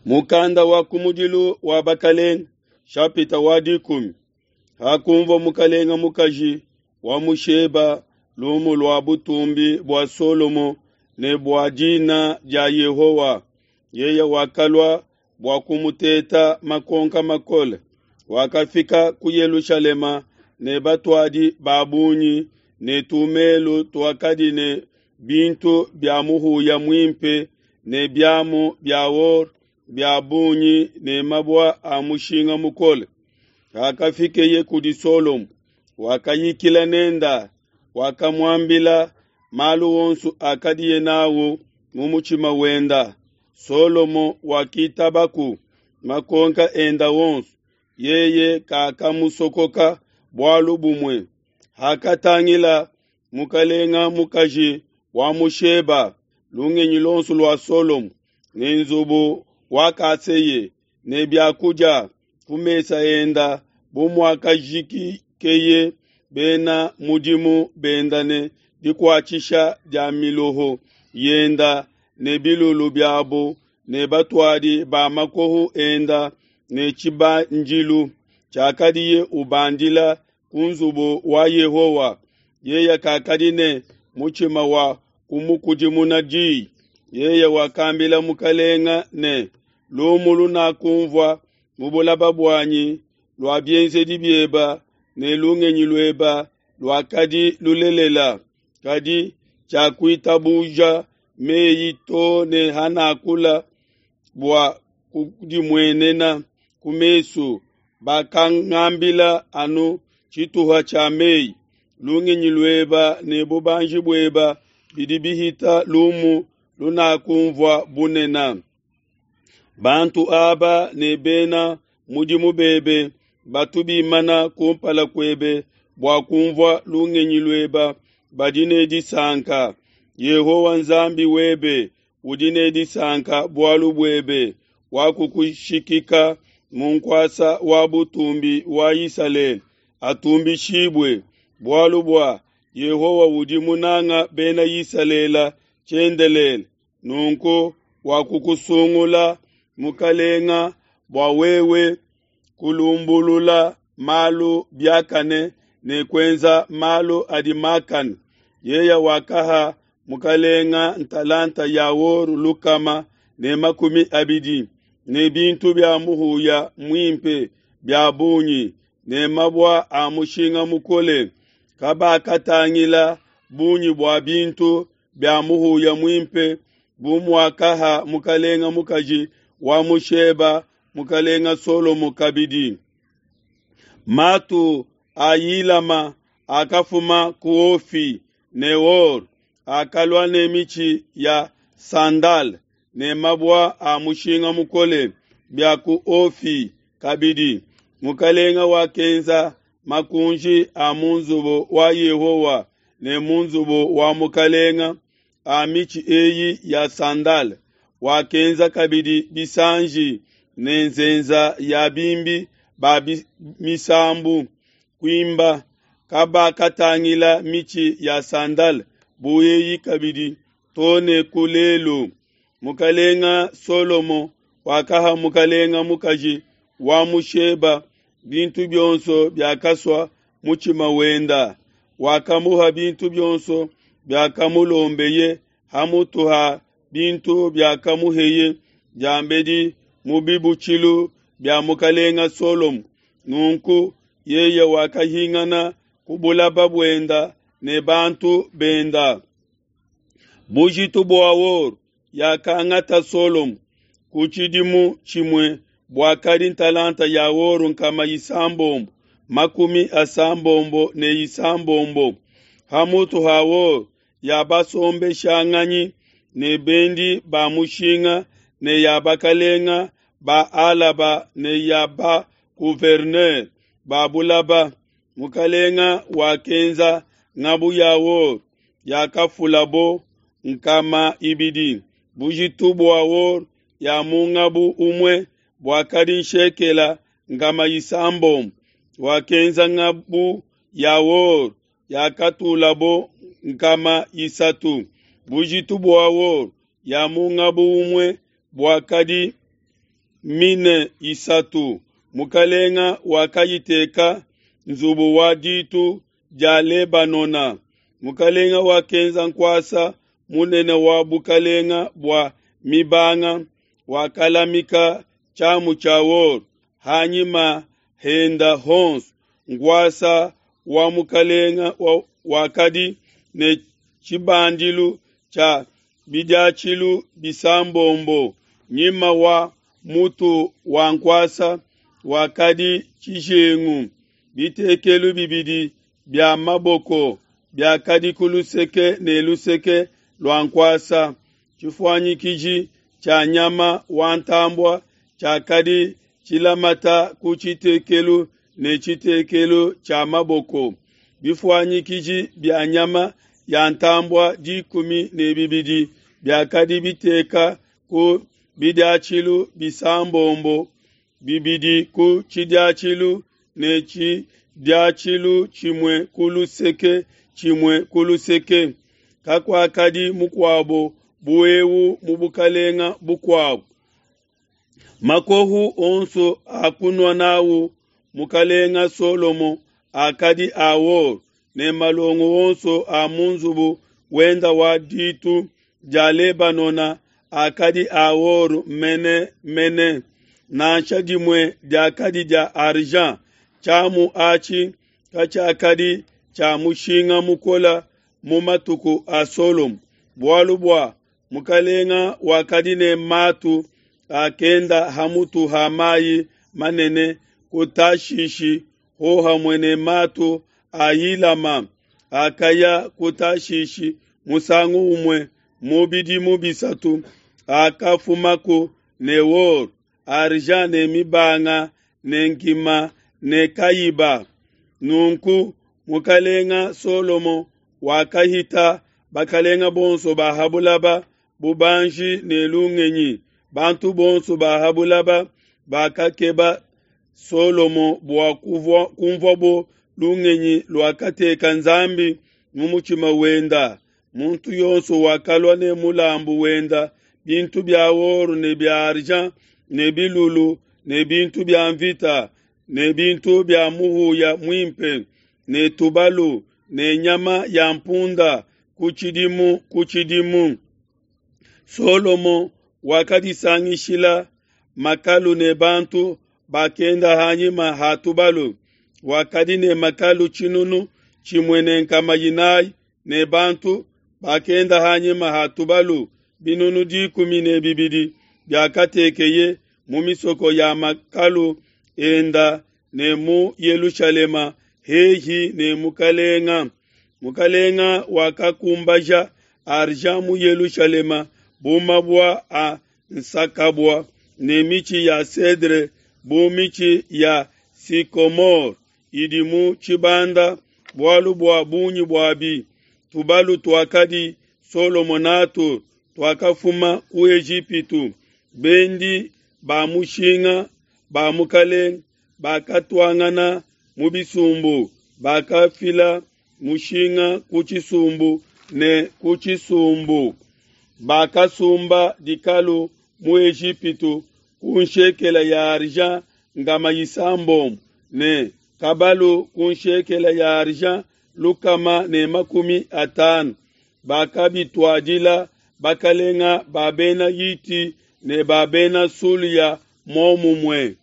Mukanda wa kumudilu wa Bakelenge, shapita wa 10. Hakunvua mukalenga mukaji wa mu Sheba lumu lua butumbi bua Solomo ne bua dina dia Yehowa, yeye wakalua bua kumuteta makonka makole. Wakafika ku Yelushalema ne batuadi ba bungi ne tumelu tuakadi ne bintu bia muhuya muimpe ne biamu bia or bia bungi ne mabua a mushinga mukole. Hakafikeye kudi Solomo, wakayikila nenda, wakamuambila malu onso akadiye nawu mu mutshima wenda. Solomo wakitabaku makonka enda onso, yeye kakamusokoka bualu bumue. Hakatangila mukalenga mukaji wa mu Sheba lungenyi luonso lua Solomo ne nzubu wakaseye ne biakudia ku mesa enda bu muakajikikeye bena mudimu benda ne dikuatshisha dia miloho yenda ne bilulu biabo ne batuadi ba makoho enda ne tshibandilu tshiakadiye ubandila ku nzubu wa Yehowa, yeye kakadi ne mutshima wa kumukudimuna diyi. Yeye wakambila mukalenga ne, lumu lunakumvua mu bulaba buanyi lua bienzedi bieba ne lungenyi lueba luakadi lulelela, kadi tshiakuitabuja meyi to ne hanakula bua kudimuenena ku mesu. Bakangambila anu tshituha tshia meyi. Lungenyi lueba ne bubanji bueba bidi bihita lumu lunakumvua bunena. Bantu aba ne bena mudimu bebe batu bimana kumpala kuebe bua kumvua lungenyi lueba badi ne disanka. Yehowa Nzambi webe udi ne disanka bualu buebe, wakukushikika mu nkuasa wa butumbi wa Isalele, atumbishibue, bualu bua Yehowa udi munanga bena Isalele tshiendelele. Nunku wakukusungula mukalenga bua wewe kulumbulula malu biakane ne kuenza malu adi makane. Yeye wakaha mukalenga ntalanta ya or 120 ne bintu bia muhuya muimpe bia bungi ne mabua a mushinga mukole. Kabakatangila bungi bua bintu bia muhuya muimpe bu muakaha mukalenga mukaji wa mu Sheba mukalenga Solomo kabidi. Matu a Yilama akafuma ku Ofi ne or, akalua ne mitshi ya sandal ne mabua a mushinga mukole bia ku Ofi kabidi. Mukalenga wakenza makunji a mu nzubu wa Yehowa ne mu nzubu wa mukalenga a mitshi eyi ya sandal. Wakenza kabidi bisanji ne nzenza ya bimbi ba misambu kuimba. Kabakatangila mitshi ya sandal bu eyi kabidi to ne ku lelu. Mukalenga Solomo wakaha mukalenga mukaji wa mu Sheba bintu bionso biakasua mutshima wenda. Wakamuha bintu bionso biakamulombeye hamutu ha bintu biakamuheye diambedi mu bibutshilu bia mukalenga Solomo. Nunku yeye wakahingana ku bulaba buenda ne bantu benda. Bujitu bua or yakangata Solomo ku tshidimu tshimue buakadi ntalanta ya or 696 hamutu ha or ya basombeshanganyi ne bendi ba mushinga ne ya bakalenga ba Alaba ne ya ba gouverneur ba bulaba. Mukalenga wakenza ngabu ya or yakafulabo 200. Bujitu bua or ya mu ngabu umue buakadi nshekela 600. Wakenza ngabu ya or yakatulabo 300. Bujitu bua or ya mu ngabu umue buakadi mine isatu. Mukalenga wakayiteka nzubu wa ditu dia Lebanona. Mukalenga wakenza nkuasa munene wa bukalenga bua mibanga, wakalamika tshiamu tshia or hanyima henda honso. Nkuasa wa mukalenga wakadi ne tshibandilu tshia bidiatshilu bisambombo. Nyima wa mutu wa nkuasa wakadi tshijengu. Bitekelu bibidi bia maboko biakadi ku luseke ne luseke lua nkuasa. Tshifuanyikiji tshia nyama wa ntambua tshiakadi tshilamata ku tshitekelu ne tshitekelu tshia maboko. Bifuanyikiji bia nyama ya ntambua 12 biakadi biteka ku bidiatshilu bisambombo, bibidi ku tshidiatshilu ne tshidiatshilu tshimue ku luseke tshimue ku luseke. Kakuakadi mukuabo bu eu mu bukalenga bukuabo. Makohu onso akunua nawu mukalenga Solomo akadi a or, ne malongo onso a mu nzubu wenda wa ditu dia Lebanona akadi a or mene mene. Nansha dimue diakadi dia argent. Tshiamu atshi katshiakadi tshia mushinga mukola mu matuku a Solomo, bualu bua mukalenga wakadi ne matu akenda hamutu ha mayi manene ku Tashishi hohamue ne matu a Hilama akaya ku Tashishi musangu umue mu bidimu bisatu, akafumaku ne or, argent ne mibanga ne nkima ne kayiba. Nunku mukalenga Solomo wakahita bakalenga bonso ba ha bulaba bubanji ne lungenyi. Bantu bonso ba ha bulaba bakakeba Solomo bua kumvuabo lungenyi luakateka Nzambi mu mutshima wenda. Muntu yonso wakalua ne mulambu wenda, bintu bia or ne bia argent ne bilulu ne bintu bia mvita ne bintu bia muhuya muimpe ne tubalu ne nyama ya mpunda ku tshidimu ku tshidimu. Solomo wakadisangishila makalu ne bantu bakenda hanyima ha tubalu. Wakadi ne makalu 4,400 ne bantu bakenda hanyima ha tubalu 12,000 biakatekeye mu misoko ya makalu enda ne mu Yelushalema hehi ne mukalenga. Mukalenga wakakumbaja argent mu Yelushalema bu mabua a nsakabua ne michi ya cedre bu michi ya sycomore idi mu tshibanda bualu bua bungi buabi. Tubalu tuakadi Solomo natu tuakafuma ku Ejipitu. Bendi ba mushinga ba mukalenga bakatuangana mu bisumbu, bakafila mushinga ku tshisumbu ne ku tshisumbu. Bakasumba dikalu mu Ejipitu ku nshekela ya argent ngama isambombo ne kabalu ku nshekela ya argent 150. Bakabituadila bakalenga ba bena Hiti ne ba bena Sulia momumue.